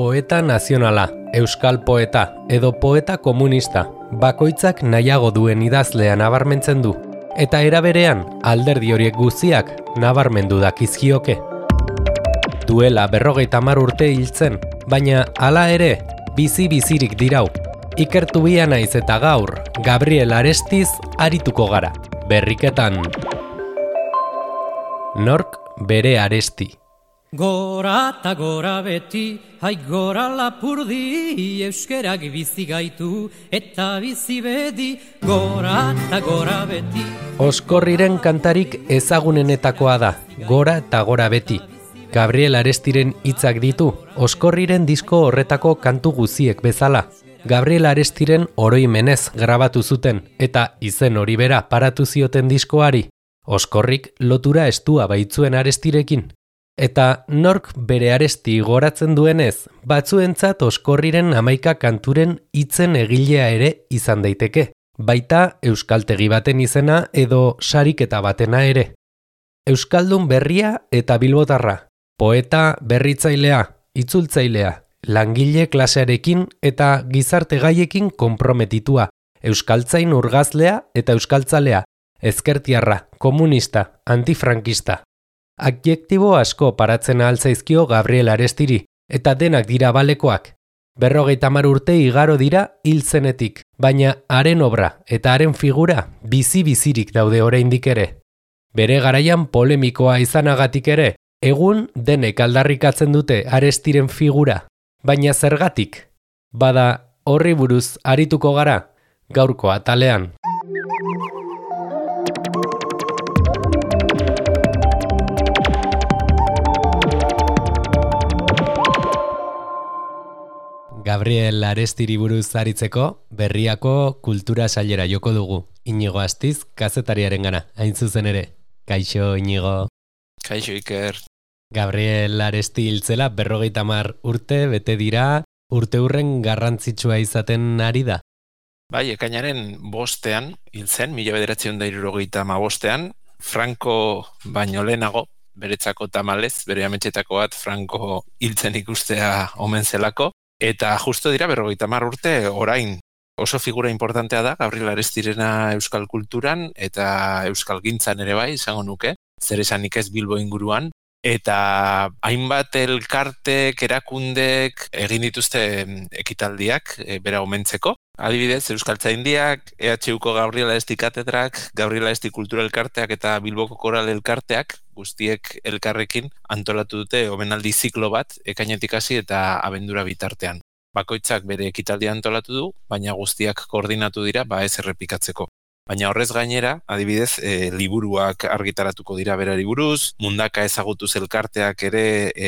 poeta nazionala, euskal poeta edo poeta komunista, bakoitzak nahiago duen idazlea nabarmentzen du, eta era berean alderdi horiek guztiak nabarmendu dakizkioke. Duela 50 urte hiltzen, baina hala ere, bizi-bizirik dirau. Ikertu bia naiz eta gaur, Gabriel Arestiz arituko gara. Berriketan. Nork bere Aresti. Gora eta gora beti, hai gora lapurdi, euskerak bizi gaitu eta bizi bedi, gora eta gora beti. Oskorriren kantarik ezagunenetakoa da, gora eta gora beti. Gabriel Arestiren hitzak ditu, Oskorriren disko horretako kantu guziek bezala. Gabriel Arestiren oroimenez grabatu zuten, eta izen hori bera paratu zioten diskoari. Oskorrik lotura estua baitzuen Arestirekin. Eta nork bere Aresti goratzen duenez, batzuentzat Oskorriren 11 kanturen hitzen egilea ere izan daiteke. Baita euskaltegi baten izena edo sariketa batena ere. Euskaldun berria eta bilbotarra. Poeta berritzailea, itzultzailea, langile klasearekin eta gizarte gaiekin konprometitua, euskaltzain urgazlea eta euskaltzalea, ezkertiarra, komunista, antifrankista. Adjektibo asko paratzen ahaltzaizkio Gabriel Arestiri, eta denak dira balekoak. 50 urte igaro dira hil zenetik, baina haren obra eta haren figura bizi-bizirik daude oraindik ere. Bere garaian polemikoa izanagatik ere, egun denek aldarrikatzen dute Arestiren figura, baina zergatik? Bada horri buruz arituko gara, gaurko atalean. Gabriel Arestiri buruz aritzeko, Berriako kultura sailera joko dugu. Inigo Astiz, kazetariarengana, hain zuzen ere. Kaixo, Inigo. Kaixo, Iker. Gabriel Aresti hiltzela 50 urte bete dira, urte hurren garrantzitsua izaten ari da. Bai, ekainaren 5ean hil zen, 1975ean, Franco baino lehenago, beretzako tamalez, bere ametxetako bat Franco hiltzen ikustea omen zelako, eta justo dira 50 urte orain. Oso figura importantea da Gabriel Arestirena euskal kulturan eta euskal gintzan ere bai, izango nuke, zer esanik ez Bilbo inguruan, eta hainbat elkartek, erakundek egin dituzte ekitaldiak bera omentzeko. Adibidez, Euskaltzaindiak, EHUko Gabriel Aresti katedrak, Gabriel Aresti kultura elkarteak eta Bilboko koral elkarteak guztiek elkarrekin antolatu dute omenaldi ziklo bat ekainetik hasi eta abendura bitartean. Bakoitzak bere ekitaldia antolatu du, baina guztiak koordinatu dira ez errepikatzeko. Baina horrez gainera, adibidez, liburuak argitaratuko dira berari buruz, mundaka ezagutuz elkarteak ere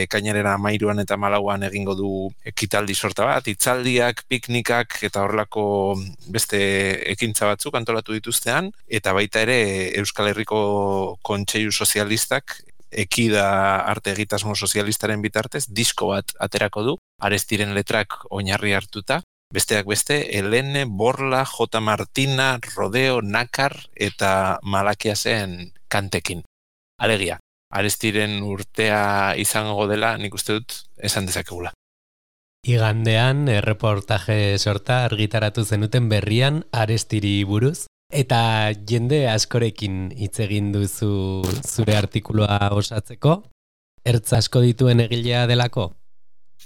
ekainaren 13 eta 14 egingo du ekitaldi sorta bat, hitzaldiak, piknikak eta horrelako beste ekintza batzuk antolatu dituztean, eta baita ere Euskal Herriko Kontseilu Sozialistak Ekida arte egitasmo sozialistaren bitartez disko bat aterako du, Arestiren letrak oinarri hartuta, besteak beste, Helene, Borla, J. Martina, Rodeo, Nakar eta Malakiasen kantekin. Alegia, Arestiren urtea izango dela, nik uste dut, esan dezakegula. Igandean, erreportaje sorta argitaratu zenuten Berrian Arestiri buruz, eta jende askorekin hitz egin duzu zure artikulua osatzeko, ertz asko dituen egilea delako?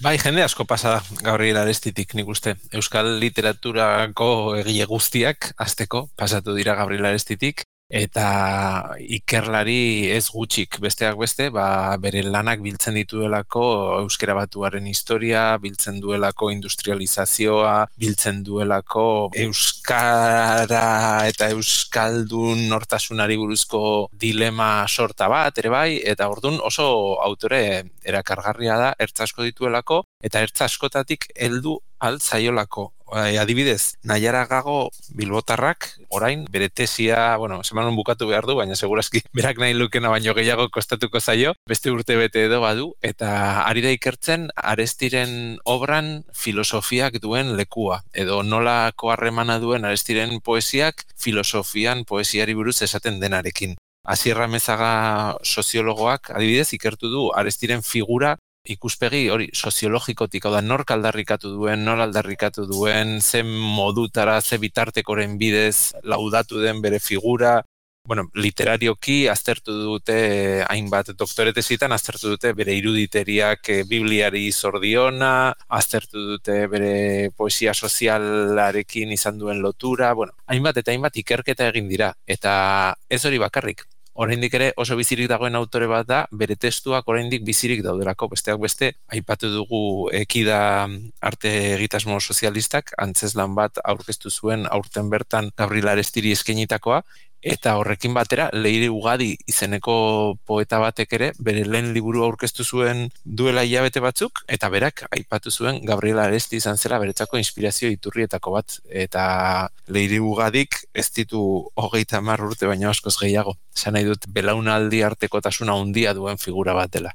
Bai, jende asko pasa da Gabriel Arestitik, nik uste. Euskal literaturako egile guztiak hasteko pasatu dira Gabriel Arestitik, eta ikerlari ez gutxik besteak beste, bere lanak biltzen dituelako euskera batuaren historia, biltzen duelako industrializazioa, biltzen duelako euskara eta euskaldun nortasunari buruzko dilema sorta bat, ere bai, eta ordun oso autore erakargarria da, ertz asko dituelako, eta ertz askotatik heldu altzaiolako. Adibidez, Naiara Gago bilbotarrak, orain, bere tesia, semanon bukatu behar du, baina segurazki berak nahi lukena baino gehiago kostatuko zaio, beste urte bete edo badu, eta ari da ikertzen Arestiren obran filosofiak duen lekua, edo nolako harremana duen Arestiren poesiak filosofian poesiari buruz esaten denarekin. Asier Amezaga soziologoak, adibidez, ikertu du Arestiren figura ikuspegi hori soziologikotik, hau da, nork aldarrikatu duen, nor aldarrikatu duen, zen modutara, ze bitartekoren bidez laudatu den bere figura. Bueno, literarioki aztertu dute hainbat doktoretesitan, aztertu dute bere iruditeriak Bibliari zordiona, aztertu dute bere poesia sozialarekin izan duen lotura, bueno, hainbat eta hainbat ikerketa egin dira, eta ez hori bakarrik. Oraindik ere oso bizirik dagoen autore bat da, bere testuak oraindik bizirik daudelako, besteak beste, aipatu dugu Ekida arte egitasmo sozialistak, antzezlan bat aurkeztu zuen aurten bertan Gabriel Arestiri eskainitakoa, eta horrekin batera Leire Ugadi izeneko poeta batek ere bere lehen liburu aurkeztu zuen duela hilabete batzuk, eta berak aipatu zuen Gabriel Aresti izan zela beretzako inspirazio iturrietako bat, eta Leire Ugadik ez ditu 30 urte baino askoz gehiago. Esan nahi dut belaunaldi artekotasuna handia duen figura bat dela.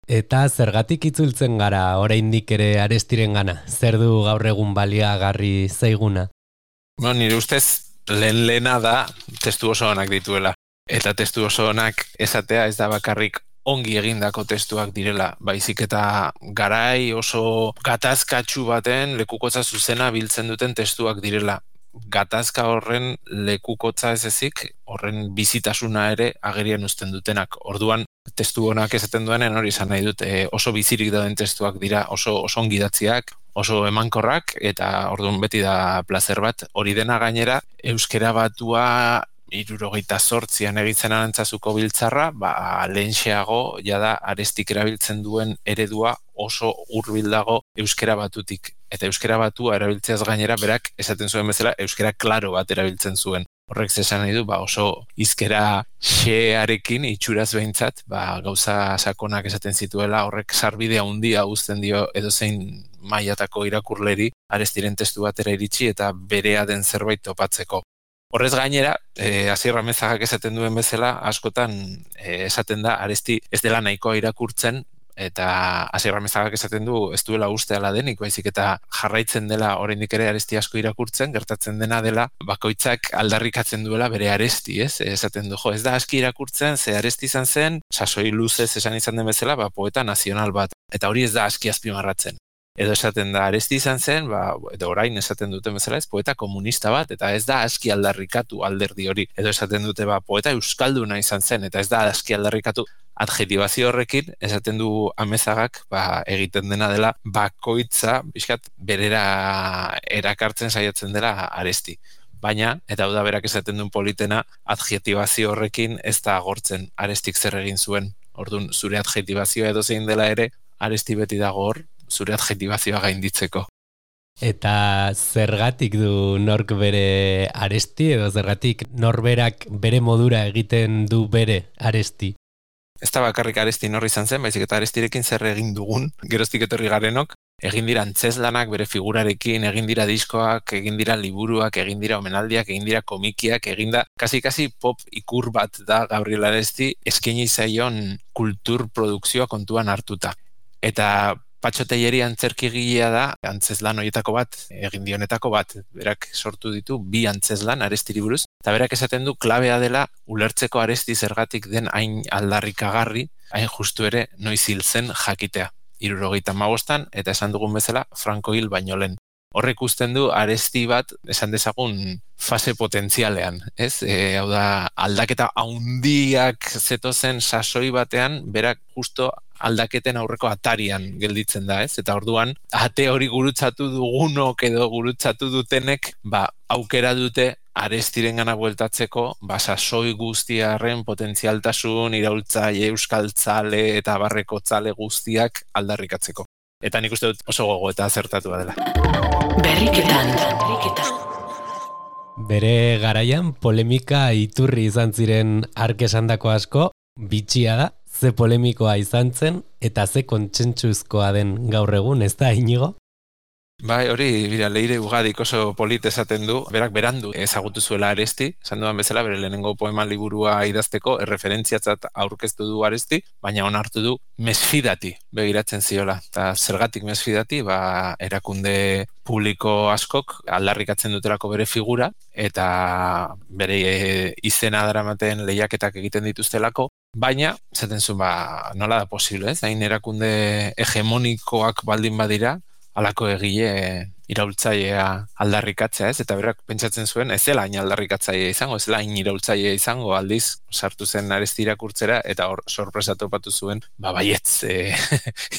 Eta zergatik itzultzen gara oraindik ere Arestirengana? Zer du gaur egun baliagarri zaiguna? Bueno, nire ustez lehena da testu oso onak dituela. Eta testu oso onak esatea ez da bakarrik ongi egindako testuak direla, baizik eta garai oso gatazkatsu baten lekukotza zuzena biltzen duten testuak direla. Gatazka horren lekukotza ez ezik, horren bizitasuna ere agerian uzten dutenak. Orduan, testu honak esaten duenen hori izan nahi dut, oso bizirik dauden testuak dira, oso ongi idatziak, oso emankorrak, eta orduan beti da plazer bat. Hori dena gainera, euskera batua 78an egitzen Arantzazuko biltzarra, lehentxeago jada Arestik erabiltzen duen eredua oso hurbil dago euskera batutik. Eta euskera batua erabiltzeaz gainera, berak esaten zuen bezala euskera klaro bat erabiltzen zuen. Horrek zesan nahi du, oso hizkera xearekin itxuraz behintzat, gauza sakonak esaten zituela, horrek sarbidea handia uzten dio edozein mailatako irakurleri Arestiren testu batera iritsi eta berea den zerbait topatzeko. Horrez gainera, Asier Amezagak esaten duen bezala, askotan esaten da Aresti ez dela nahikoa irakurtzen, eta Asier Amezagak esaten du ez duela uste ala denik, baizik eta jarraitzen dela oraindik ere Aresti asko irakurtzen, gertatzen dena dela bakoitzak aldarrikatzen duela bere Aresti, ez? Esaten du, ez da aski irakurtzen, ze Aresti izan zen, sasoi luzez esan izan den bezala, poeta nazional bat, eta hori ez da aski azpimarratzen. Edo esaten da Aresti izan zen, edo orain esaten duten bezala ez, poeta komunista bat, eta ez da aski aldarrikatu alderdi hori. Edo esaten dute poeta euskalduna izan zen, eta ez da aski aldarrikatu. Adjetibazio horrekin, esaten du Amezagak, egiten dena dela bakoitza, bizkat, berera erakartzen saiatzen dela Aresti. Baina, eta hau da berak esaten duen politena, adjetibazio horrekin ez da agortzen Arestik zer egin zuen. Orduan, zure adjetibazioa edo zein dela ere, Aresti beti dago hor, zure adjetibazioa gainditzeko. Eta zergatik du nork bere Aresti, edo zergatik norberak bere modura egiten du bere Aresti? Ez da bakarrik Aresti nor izan zen, baizik eta Arestirekin zer egin dugun, geroztik etorri garenok, egin dira antzezlanak bere figurarekin, egin dira diskoak, egin dira liburuak, egin dira omenaldiak, egin dira komikiak, egin da, kasi pop ikur bat da Gabriel Aresti eskaini zaion kultur produkzioa kontuan hartuta. Eta Patxo Telleri antzerkigilea da, antzezlan horietako bat, egin dionetako bat, berak sortu ditu 2 antzezlan Arestiri buruz, eta berak esaten du klabea dela ulertzeko Aresti zergatik den hain aldarrikagarri, hain justu ere noiz hil zen jakitea. 75an, eta esan dugun bezala, Franco hil baino lehen. Horrek usten du Aresti bat, esan dezagun, fase potentzialean, ez? Hau da, aldaketa handiak zetozen sasoi batean, berak justo aldaketen aurreko atarian gelditzen da, ez? Eta orduan, ate hori gurutzatu dugunok edo gurutzatu dutenek, aukera dute Arestirengana bueltatzeko, sasoi guztiarren potentzialtasun, iraultzaile, euskaltzale eta barrekotzale guztiak aldarrikatzeko. Eta nik uste dut oso gogo eta azertatua dela. Berriketan. Bere garaian polemika iturri izan ziren hark esandako asko, bitxia da, ze polemikoa izan zen, eta ze kontsentsuzkoa den gaur egun, ez da, Inigo? Bai, hori, Leire Ugadik oso polit esaten du, berak berandu ezagutu zuela Aresti, esan dudan bezala, bere lehenengo poema liburua idazteko, erreferentziatzat aurkeztu du Aresti, baina onartu du mesfidati begiratzen ziola. Eta zergatik mesfidati, erakunde publiko askok aldarrikatzen dutelako bere figura, eta bere izena daramaten lehiaketak egiten dituztelako, Baina, zaten zuen, nola da posible, ez? Hain erakunde hegemonikoak baldin badira, halako egile iraultzailea aldarrikatzea, ez? Eta berak pentsatzen zuen, ez zela hain aldarrikatzailea izango, ez zela hain iraultzailea izango, aldiz, sartu zen Aresti irakurtzera, eta hor sorpresa topatu zuen, baietz,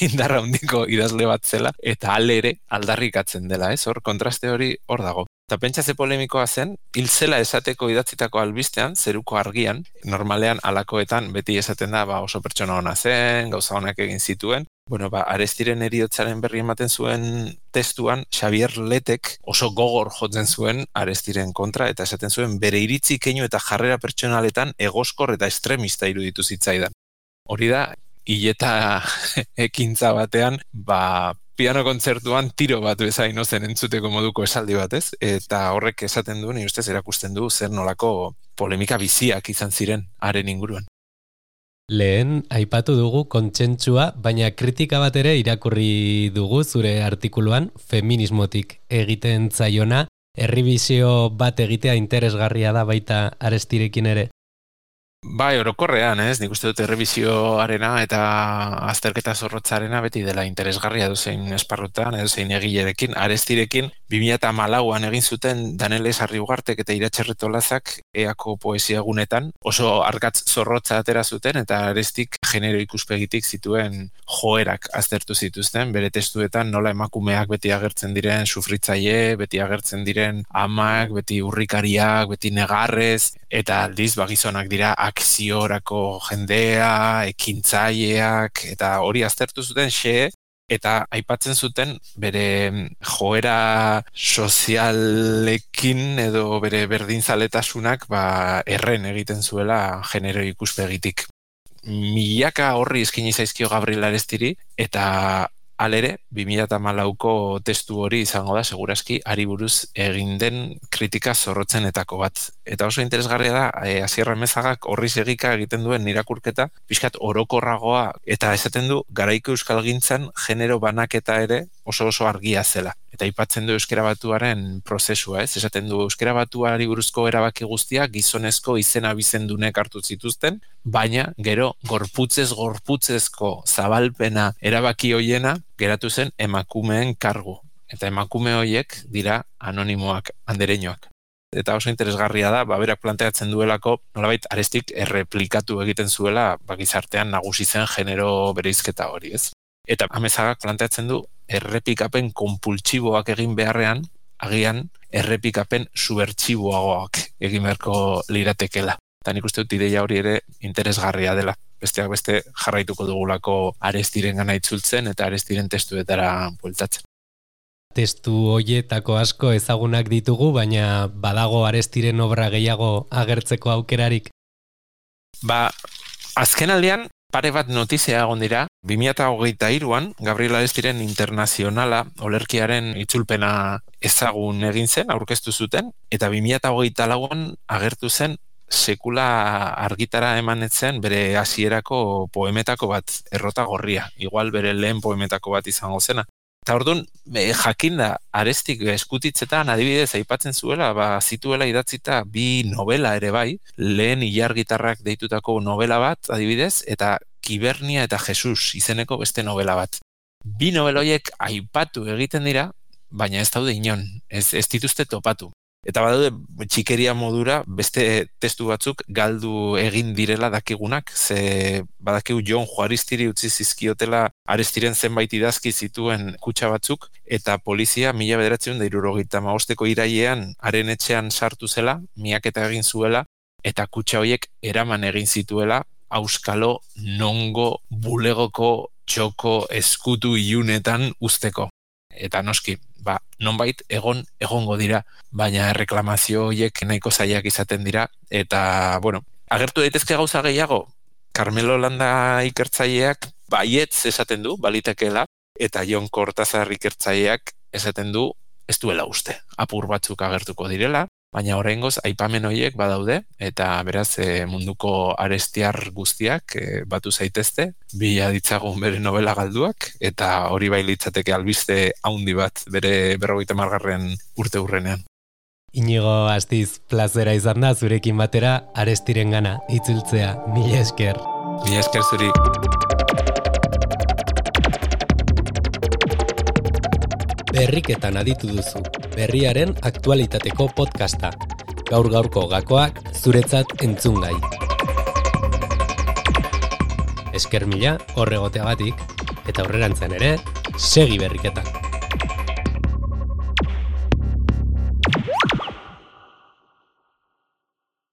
indarra handiko idazle bat zela, eta ere aldarrikatzen dela, ez? Hor, kontraste hori hor dago. Eta pentsatze polemikoa zen, hil zela esateko idatzitako albistean, zeruko argian, normalean alakoetan beti esaten da oso pertsona ona zen, gauza onak egin zituen. Bueno, Arestiren heriotzaren berri ematen zuen testuan, Xavier Letek oso gogor jotzen zuen Arestiren kontra, eta esaten zuen bere iritzi keinu eta jarrera pertsonaletan egoskor eta estremista iruditu zitzaidan. Hori da, hileta ekintza batean, piano kontzertuan tiro bat bezain ozen entzuteko moduko esaldi bat, ez? Eta horrek esaten du, ni ustez erakusten du zer nolako polemika biziak izan ziren haren inguruan. Lehen aipatu dugu kontsentsua, baina kritika bat ere irakurri dugu zure artikuluan, feminismotik egiten zaiona, errebisio bat egitea interesgarria da baita Arestirekin ere. Bai, orokorrean, ez? Nik uste dut errebisioarena eta azterketa zorrotzarena beti dela interesgarria duzein esparrutan, edozein egilerekin. Arestirekin 2014an egin zuten Danele Sarriugartek eta Iratxe Retolazak EAko poesia gunetan oso argatz zorrotza atera zuten eta Arestik genero ikuspegitik zituen joerak aztertu zituzten, bere testuetan nola emakumeak beti agertzen diren sufritzaile, beti agertzen diren amak, beti urrikariak, beti negarrez, eta aldiz gizonak dira akziorako jendea, ekintzaileak, eta hori aztertu zuten eta aipatzen zuten bere joera sozialekin edo bere berdinzaletasunak erren egiten zuela genero ikuspegitik. Milaka horri eskaini zaizkio Gabriel Arestiri, eta halere, 2014ko testu hori izango da, segurazki, hari buruz egin den kritika zorrotzenetako bat. Eta oso interesgarria da, Asier Amezagak horri segika egiten duen irakurketa, pixkat orokorragoa, eta esaten du, garaiko euskalgintzan genero banaketa ere oso argia zela. Eta aipatzen du euskera batuaren prozesua, ez? Esaten du euskera batuari buruzko erabaki guztiak gizonezko izena bizendunek hartu zituzten, baina gero gorputzezko zabalpena erabaki hoiena geratu zen emakumeen kargu. Eta emakume hoiek dira anonimoak, andereñoak. Eta oso interesgarria da, berak planteatzen duelako, nolabait Arestik erreplikatu egiten zuela, gizartean nagusi zen genero bereizketa hori, ez? Eta Amezagak planteatzen du, errepikapen konpultsiboak egin beharrean, agian errepikapen subertsiboagoak egin beharko liratekela. Eta nik uste dut ideia hori ere interesgarria dela. Besteak beste jarraituko dugulako Arestiren gana itzultzen eta Arestiren testuetara bueltatzen. Testu hoietako asko ezagunak ditugu, baina badago Arestiren obra gehiago agertzeko aukerarik? Azken aldean, pare bat notizia egon dira, 2023an Gabriel Arestiren internazionala olerkiaren itzulpena ezagun egin zen, aurkeztu zuten, eta 2024an agertu zen sekula argitara emanetzen bere hasierako poemetako bat, Errota gorria, igual bere lehen poemetako bat izango zena. Eta orduan, jakinda Arestik eskutitzetan adibidez aipatzen zuela, zituela idatzita 2 novela ere bai, lehen ilargitarrak deitutako novela bat adibidez, eta Kibernia eta Jesus izeneko beste novela bat. 2 novela horiek aipatu egiten dira, baina ez daude inon, ez dituzte topatu. Eta badaude txikeria modura beste testu batzuk galdu egin direla dakigunak, ze badakigu Jon Juaristiri utzi zizkiotela Arestiren zenbait idazki zituen kutxa batzuk, eta polizia 1975ko irailean haren etxean sartu zela, miaketa egin zuela, eta kutxa horiek eraman egin zituela, auskalo, nongo, bulegoko, txoko, eskutu ilunetan usteko. Eta noski, nonbait egongo dira, baina erreklamazio horiek nahiko zailak izaten dira, eta, agertu daitezke gauza gehiago, Carmelo Landa ikertzaileak baietz esaten du, balitekeela, eta Jon Kortazar ikertzaileak esaten du, ez duela uste, apur batzuk agertuko direla, baina oraingoz aipamen horiek badaude, eta beraz munduko arestiar guztiak batu zaitezte, bila ditzagun bere novela galduak, eta hori bai litzateke albiste haundi bat bere 50. urte hurrenean. Inigo Astiz, plazera izan da zurekin batera Arestiren gana itzultzea, mila esker. Mila esker zuri. Berriketan aditu duzu, berriaren aktualitateko podcasta. Gaur-gaurko gakoak zuretzat entzungai. Esker mila horregoteagatik, eta aurrerantzean ere, segi berriketan.